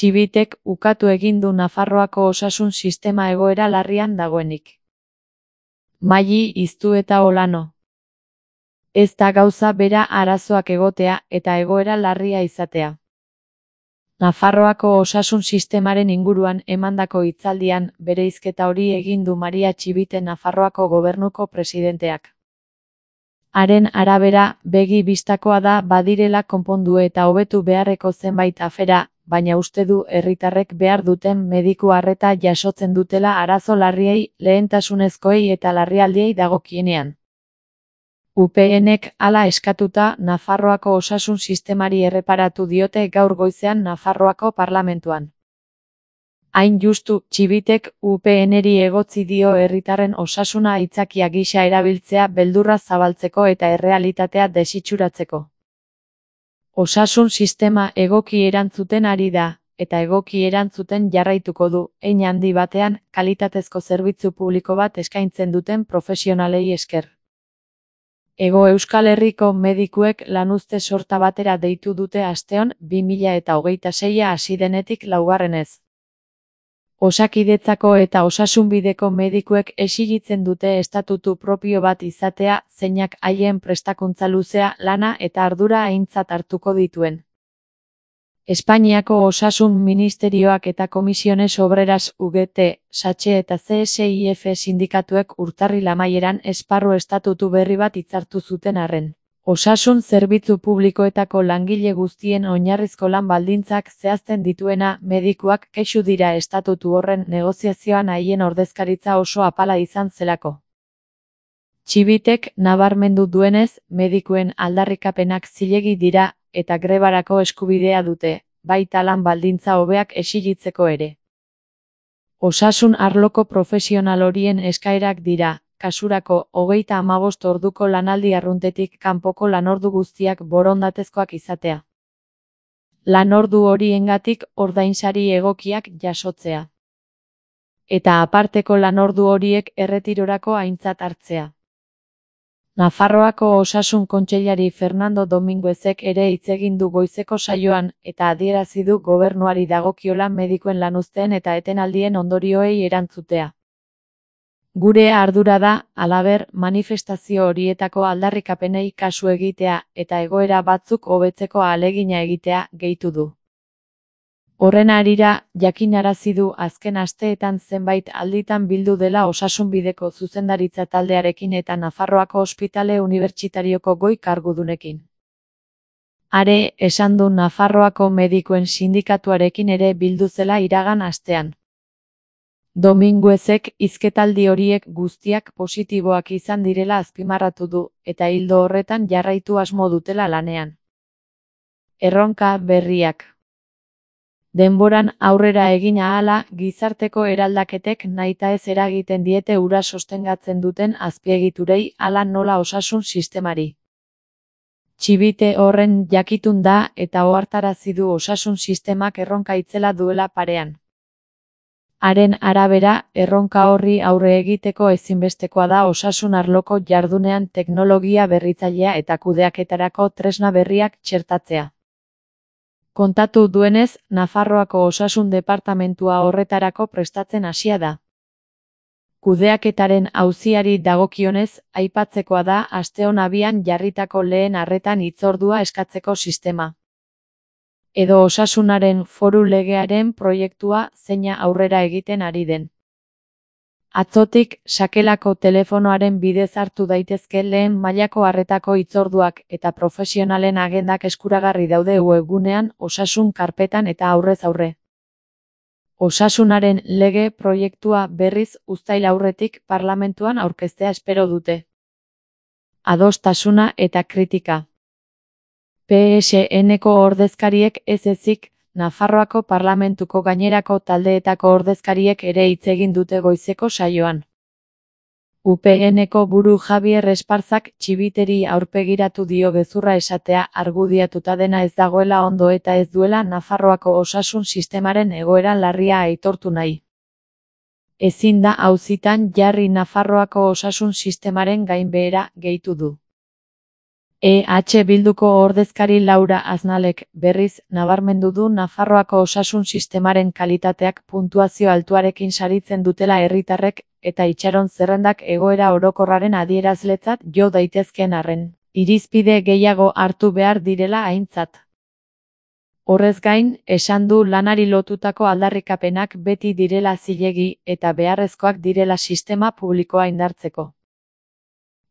Txibitek ukatu egin du Nafarroako osasun sistema egoera larrian dagoenik. Maili Iztueta Olano. Ez da gauza bera arazoak egotea eta egoera larria izatea. Nafarroako osasun sistemaren inguruan emandako hitzaldian bereizketa hori egin du Maria Txibite Nafarroako gobernuko presidenteak. Haren arabera, begi bistakoa da badirela konpondu eta hobetu beharreko zenbait afera, baina uste du herritarrek behar duten mediku arreta jasotzen dutela arazo larriei, lehentasunezkoei eta larrialdiei dagokienean. UPNek hala eskatuta Nafarroako osasun sistemari erreparatu diote gaur goizean Nafarroako parlamentuan. Hain justu, Txibitek UPNeri egotzi dio herritarren osasuna aitzakia gisa erabiltzea beldurra zabaltzeko eta errealitatea desitxuratzeko. Osasun sistema egoki erantzuten ari da, eta egoki erantzuten jarraituko du, hein handi batean, kalitatezko zerbitzu publiko bat eskaintzen duten profesionalei esker. Hego Euskal Herriko medikuek lanuzte sorta batera deitu dute asteon 2026 hasi denetik laugarrenez. Osakidetzako eta osasunbideko medikuek exigitzen dute estatutu propio bat izatea, zeinak haien prestakuntza luzea, lana eta ardura aintzat hartuko dituen. Espainiako Osasun Ministerioak eta Komisiones Obreras UGT, SACHE eta CSIF sindikatuek urtarril amaieran esparru estatutu berri bat hitzartu zuten arren. Osasun zerbitzu publikoetako langile guztien oinarrizko lan baldintzak zehazten dituena, medikuak kexu dira estatutu horren negoziazioan haien ordezkaritza oso apala izan zelako. Txibitek nabarmendu duenez, medikuen aldarrikapenak zilegi dira, eta grebarako eskubidea dute, baita lan baldintza hobeak exigitzeko ere. Osasun arloko profesional horien eskaerak dira, kasurako 35 orduko lanaldi arruntetik kanpoko lanordu guztiak borondatezkoak izatea. Lanordu horiengatik ordainsari egokiak jasotzea. Eta aparteko lanordu horiek erretirorako aintzat hartzea. Nafarroako Osasun Kontseilari Fernando Dominguezek ere hitz egin du goizeko saioan, eta adierazi du gobernuari dagokiola medikuen lanuzteen eta etenaldien ondorioei erantzutea. Gure ardura da, halaber, manifestazio horietako aldarrikapenei kasu egitea eta egoera batzuk hobetzeko ahalegina egitea, gehitu du. Horren harira, jakinarazi du azken asteetan zenbait alditan bildu dela Osasunbideko zuzendaritza taldearekin eta Nafarroako Ospitale Unibertsitarioko goi kargudunekin. Are, esan du Nafarroako medikuen sindikatuarekin ere bildu zela iragan astean. Dominguezek hizketaldi horiek guztiak positiboak izan direla azpimarratu du, eta ildo horretan jarraitu asmo dutela lanean. Erronka berriak. Denboran aurrera egin ahala, gizarteko eraldaketek nahitaez eragiten diete hura sostengatzen duten azpiegiturei hala nola osasun sistemari. Txibite horren jakitun da eta ohartarazi du osasun sistemak erronka itzela duela parean. Haren arabera, erronka horri aurre egiteko ezinbestekoa da osasun arloko jardunean teknologia berritzailea eta kudeaketarako tresna berriak txertatzea. Kontatu duenez, Nafarroako Osasun Departamentua horretarako prestatzen hasia da. Kudeaketaren auziari dagokionez, aipatzekoa da asteon abian jarritako lehen arretan hitzordua eskatzeko sistema. Edo osasunaren foru legearen proiektua zeina aurrera egiten ari den. Atzotik, sakelako telefonoaren bidez hartu daitezke lehen mailako arretako hitzorduak eta profesionalen agendak eskuragarri daude webgunean, osasun karpetan eta aurrez aurre. Osasunaren lege proiektua berriz uztail aurretik parlamentuan aurkeztea espero dute. Adostasuna eta kritika. PSN-ko ordezkariek ez ezik, Nafarroako parlamentuko gainerako taldeetako ordezkariek ere hitz egin dute goizeko saioan. UPN-ko buru Javier Esparzak Txibiteri aurpegiratu dio gezurra esatea argudiatuta dena ez dagoela ondo eta ez duela Nafarroako osasun sistemaren egoera larria aitortu nahi. Ezin da auzitan jarri Nafarroako osasun sistemaren gainbehera, gehitu du. Bilduko ordezkari Laura Aznalek berriz nabarmendu du Nafarroako osasun sistemaren kalitateak puntuazio altuarekin saritzen dutela herritarrek eta itxaron zerrendak egoera orokorraren adierazletzat jo daitezkeen arren, irizpide gehiago hartu behar direla aintzat. Horrez gain, esan du lanari lotutako aldarrikapenak beti direla zilegi eta beharrezkoak direla sistema publikoa indartzeko.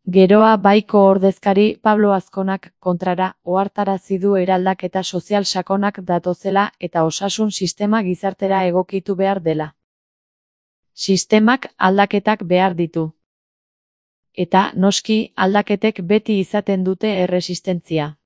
Geroa baiko ordezkari Pablo Azkonak kontrara ohartarazi du eraldaketa sozial sakonak datozela eta osasun sistema gizartera egokitu behar dela. Sistemak aldaketak behar ditu. Eta, noski, aldaketek beti izaten dute erresistentzia.